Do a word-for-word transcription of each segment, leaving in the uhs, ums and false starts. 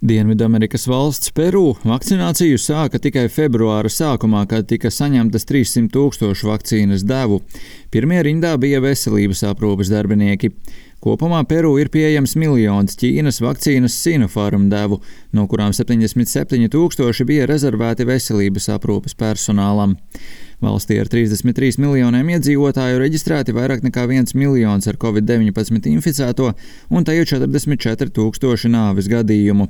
Dienvidamerikas valsts Peru vakcināciju sāka tikai februāra sākumā, kad tika saņemtas trīssimt tūkstošu vakcīnas devu. Pirmie rindā bija veselības aprūpes darbinieki. Kopumā Peru ir pieejams miljons Ķīnas vakcīnas Sinopharm devu, no kurām septiņdesmit septiņi tūkstoši bija rezervēti veselības aprūpes personālam. Valstī ar trīsdesmit trīs miljoniem iedzīvotāju reģistrēti vairāk nekā viens miljons ar covid deviņpadsmit inficēto un tajā četrdesmit četri tūkstoši nāves gadījumu.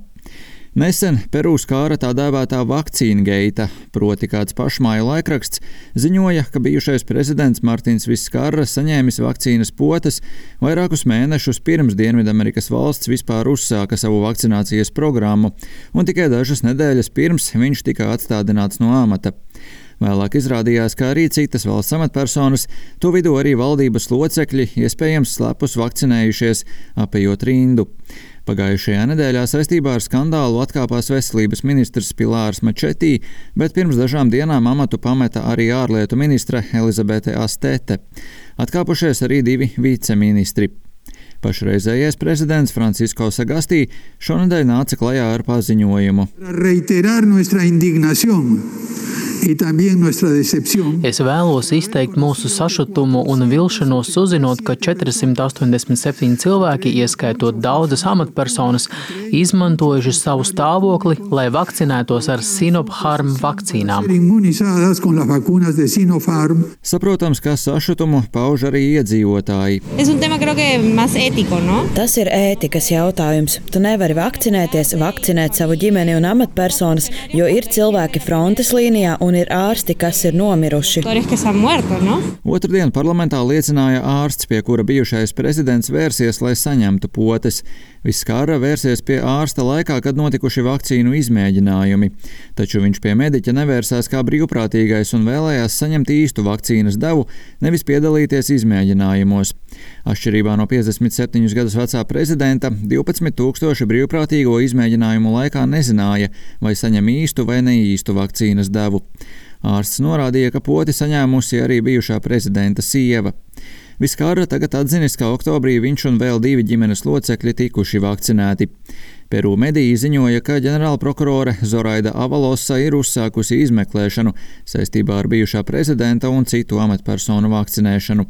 Nesen Peru skāra tā dēvētā vakcīna geita, proti kāds pašmāju laikraksts ziņoja, ka bijušais prezidents Martins Viskarra saņēmis vakcīnas potes vairākus mēnešus pirms Dienvidamerikas valsts vispār uzsāka savu vakcinācijas programmu, un tikai dažas nedēļas pirms viņš tika atstādināts no amata. Vēlāk izrādījās, ka arī citas valsts amatpersonas, to vidū arī valdības locekļi, iespējams slepus vakcinējušies, apejot rindu. Pagājušajā nedēļā saistībā ar skandālu atkāpās veselības ministrs Pilārs Mačetī, bet pirms dažām dienām amatu pameta arī ārlietu ministre Elizabete Astete. Atkāpušies arī divi viceministri. Pašreizējais prezidents Francisko Sagastī šonedēļ nāca klajā ar paziņojumu. Es vēlos izteikt mūsu sašutumu un vilšanos uzzinot, ka četrsimt astoņdesmit septiņi cilvēki, ieskaitot daudzas amatpersonas, izmantojuši savu stāvokli, lai vakcinētos ar Sinopharm vakcīnām. Saprotams, ka sašutumu pauž arī iedzīvotāji. Tas ir ētikas jautājums. Tu nevari vakcinēties, vakcinēt savu ģimeni un amatpersonas, jo ir cilvēki frontes līnijā un ir ārsti, kas ir nomiruši. Otrdien parlamentā liecināja ārsts, pie kura bijušais prezidents vērsies, lai saņemtu potes. Viskarra vērsies pie ārsta laikā, kad notikuši vakcīnu izmēģinājumi. Taču viņš pie mediķa nevērsās kā brīvprātīgais un vēlējās saņemt īstu vakcīnas devu, nevis piedalīties izmēģinājumos. Atšķirībā no piecdesmit septiņus gadus vecā prezidenta, divpadsmit tūkstoši brīvprātīgo izmēģinājumu laikā nezināja, vai saņem īstu vai neīstu vakcīnas devu. Ārsts norādīja, ka poti saņēmusi arī bijušā prezidenta sieva. Viskarra tagad atzinis, ka oktobrī viņš un vēl divi ģimenes locekļi tikuši vakcinēti. Peru mediji ziņoja, ka ģenerālprokurore Zoraida Avalosa ir uzsākusi izmeklēšanu saistībā ar bijušā prezidenta un citu amatpersonu vakcinēšanu.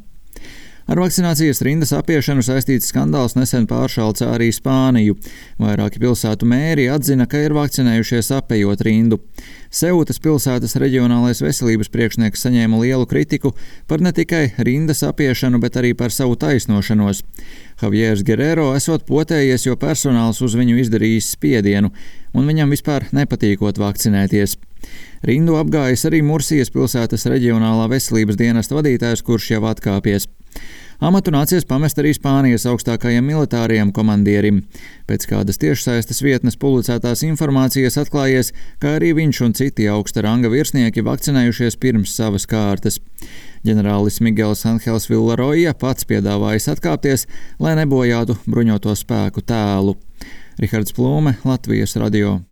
Ar vakcinācijas rindas apiešanu saistīts skandāls nesen pāršalca arī Spāniju. Vairāki pilsētu mēri atzina, ka ir vakcinējušies apejot rindu. Seutas pilsētas reģionālais veselības priekšnieks saņēma lielu kritiku par ne tikai rindas apiešanu, bet arī par savu taisnošanos. Javiers Guerrero esot potējies, jo personāls uz viņu izdarījis spiedienu, un viņam vispār nepatīkot vakcinēties. Rindu apgājis arī Mursijas pilsētas reģionālā veselības dienesta vadītājs, kurš jau atkāpies. Amatu nācies pamest arī Spānijas augstākajam militārajam komandierim. Pēc kādas tiešsaistes vietnes publicētās informācijas atklājies, ka arī viņš un citi augsta ranga virsnieki vakcinējušies pirms savas kārtas. Ģenerālis Miguels Anhels Villaroja pats piedāvājis atkāpties, lai nebojātu bruņoto spēku tēlu. Rihards Plūme, Latvijas radio.